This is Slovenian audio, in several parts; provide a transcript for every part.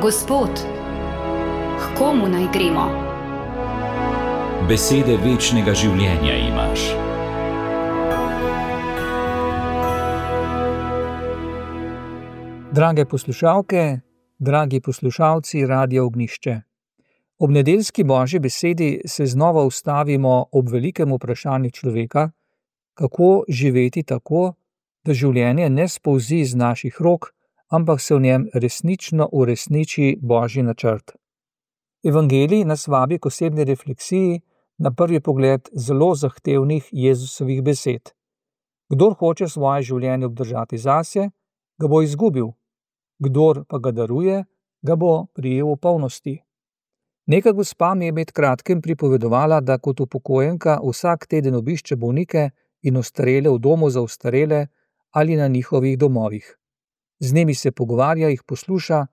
Gospod, k komu naj gremo? Besede večnega življenja imaš. Drage poslušalke, dragi poslušalci Radia Ognjišče. Ob nedeljski Božji besedi se znova ustavimo ob velikem vprašanju človeka, kako živeti tako, da življenje ne spolzi iz naših rok, ampak se v njem resnično uresniči Božji načrt. Evangelij nas vabi k osebni refleksiji na prvi pogled zelo zahtevnih Jezusovih besed. Kdor hoče svoje življenje obdržati zase, ga bo izgubil. Kdor pa ga daruje, ga bo prijel v polnosti. Neka gospa mi je med kratkim pripovedovala, da kot upokojenka vsak teden obišče bolnike in ostarele v domu za ostarele ali na njihovih domovih. Z njimi se pogovarja, jih posluša,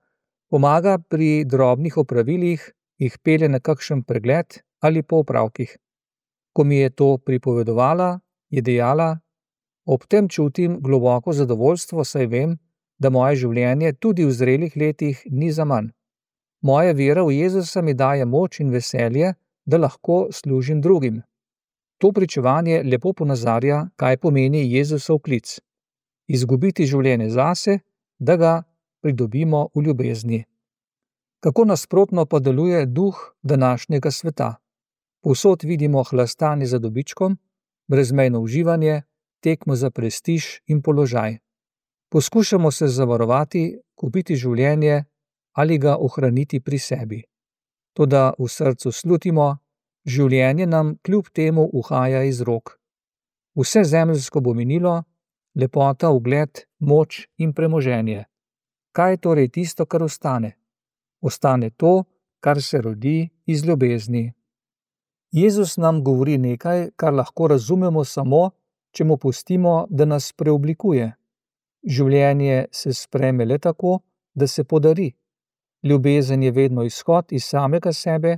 pomaga pri drobnih opravilih, jih pelje na kakšen pregled ali po opravkih. Ko mi je to pripovedovala, je dejala: ob tem čutim globoko zadovoljstvo, saj vem, da moje življenje tudi v zrelih letih ni zaman. Moja vera v Jezusa mi daje moč in veselje, da lahko služim drugim. To pričevanje lepo ponazarja, kaj pomeni Jezusov klic. Izgubiti življenje zase, da ga pridobimo v ljubezni. Kako nasprotno pa deluje duh današnjega sveta. Povsod vidimo hlastanje za dobičkom, brezmejno uživanje, tekmo za prestiž in položaj. Poskušamo se zavarovati, kupiti življenje ali ga ohraniti pri sebi. Toda v srcu slutimo, življenje nam kljub temu uhaja iz rok. Vse zemeljsko bo minilo, lepota, ugled, moč in premoženje. Kaj je torej tisto, kar ostane? Ostane to, kar se rodi iz ljubezni. Jezus nam govori nekaj, kar lahko razumemo samo, če mu pustimo, da nas preoblikuje. Življenje se sprejme le tako, da se podari. Ljubezen je vedno izhod iz samega sebe,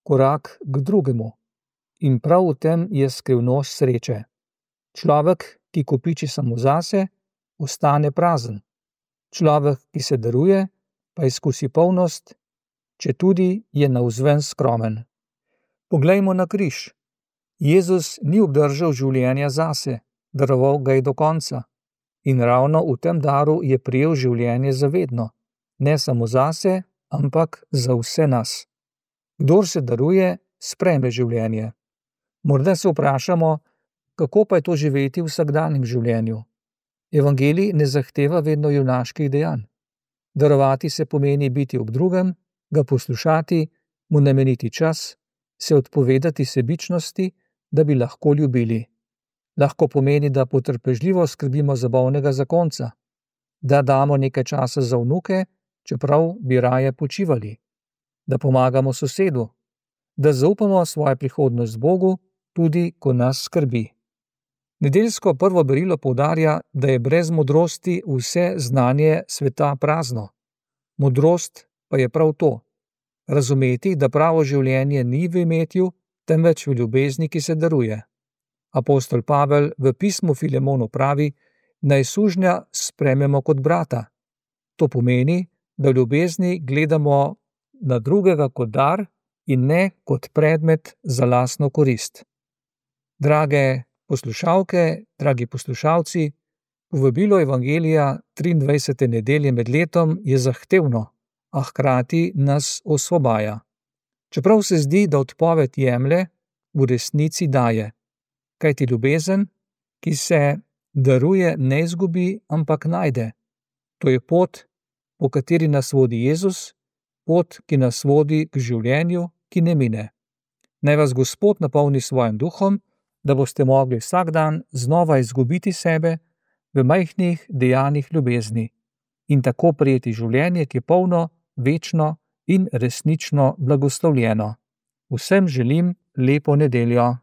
korak k drugemu. In prav v tem je skrivnost sreče. Človek, ki kopiči samo zase, ostane prazen. Človek, ki se daruje, pa izkusi polnost, četudi je navzven skromen. Poglejmo na križ. Jezus ni obdržal življenja zase, daroval ga je do konca. In ravno v tem daru je prijel življenje za vedno. Ne samo zase, ampak za vse nas. Kdor se daruje, sprejme življenje. Morda se vprašamo, kako pa je to živeti v vsakdanjem življenju. Evangelij ne zahteva vedno junaških dejanj. Darovati se pomeni biti ob drugem, ga poslušati, mu nameniti čas, se odpovedati sebičnosti, da bi lahko ljubili. Lahko pomeni, da potrpežljivo skrbimo za bolnega zakonca, da damo nekaj časa za vnuke, čeprav bi raje počivali, da pomagamo sosedu, da zaupamo svojo prihodnost Bogu, tudi ko nas skrbi. Nedeljsko prvo berilo poudarja, da je brez modrosti vse znanje sveta prazno. Modrost pa je prav to, razumeti, da pravo življenje ni v imetju, temveč v ljubezni, ki se daruje. Apostol Pavel v pismu Filemonu pravi, naj sužnja sprejmemo kot brata. To pomeni, da v ljubezni gledamo na drugega kot dar in ne kot predmet za lastno korist. Drage poslušalke, dragi poslušalci, povabilo Evangelija 23. nedelje med letom je zahtevno, a hkrati nas osvobaja. Čeprav se zdi, da odpoved jemlje, v resnici daje. Kajti ljubezen, ki se daruje, ne izgubi, ampak najde. To je pot, po kateri nas vodi Jezus, pot, ki nas vodi k življenju, ki ne mine. Naj vas Gospod napolni svojim duhom, da boste mogli vsak dan znova izgubiti sebe v majhnih dejanjih ljubezni in tako prejeti življenje, ki je polno, večno in resnično blagoslovljeno. Vsem želim lepo nedeljo.